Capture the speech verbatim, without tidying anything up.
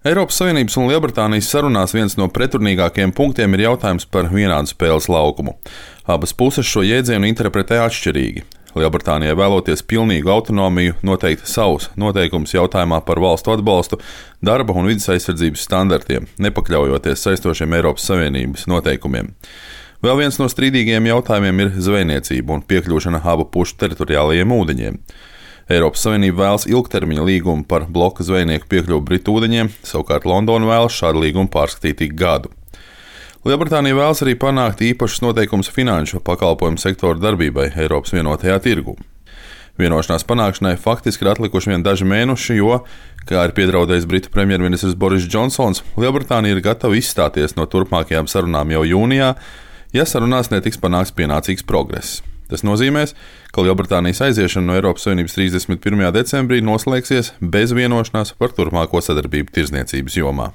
Eiropas Savienības un Lielbritānijas sarunās viens no pretrunīgākajiem punktiem ir jautājums par vienādu spēles laukumu. Abas puses šo jēdzienu interpretē atšķirīgi. Lielbritānijai vēloties pilnīgu autonomiju noteikt savus noteikumus jautājumā par valstu atbalstu, darba un vides aizsardzības standartiem, nepakļaujoties saistošiem Eiropas Savienības noteikumiem. Vēl viens no strīdīgajiem jautājumiem ir zvejniecība un piekļūšana abu pušu teritoriālajiem ūdeņiem. Eiropas Savienība vēlas ilgtermiņa līgumu par bloka zvejnieku piekļuvi Britu ūdeņiem, savukārt Londona vēlas šādu līgumu pārskatīt ik gadu. Lielbritānija vēlas arī panākt īpašus noteikumus finanšu pakalpojumu sektoru darbībai Eiropas vienotajā tirgū. Vienošanās panākšanai faktiski ir atlikuši vien daži mēneši, jo, kā ir piedraudējis Britu premjerministrs Boris Džonsons, Lielbritānija ir gatava izstāties no turpmākajām sarunām jau jūnijā, ja sarunās netiks panākts pienācīgs progress. Tas nozīmēs, ka Lielbritānijas aiziešana no Eiropas Savienības trīsdesmit pirmajā decembrī noslēgsies bez vienošanās par turpmāko sadarbību tirdzniecības jomā.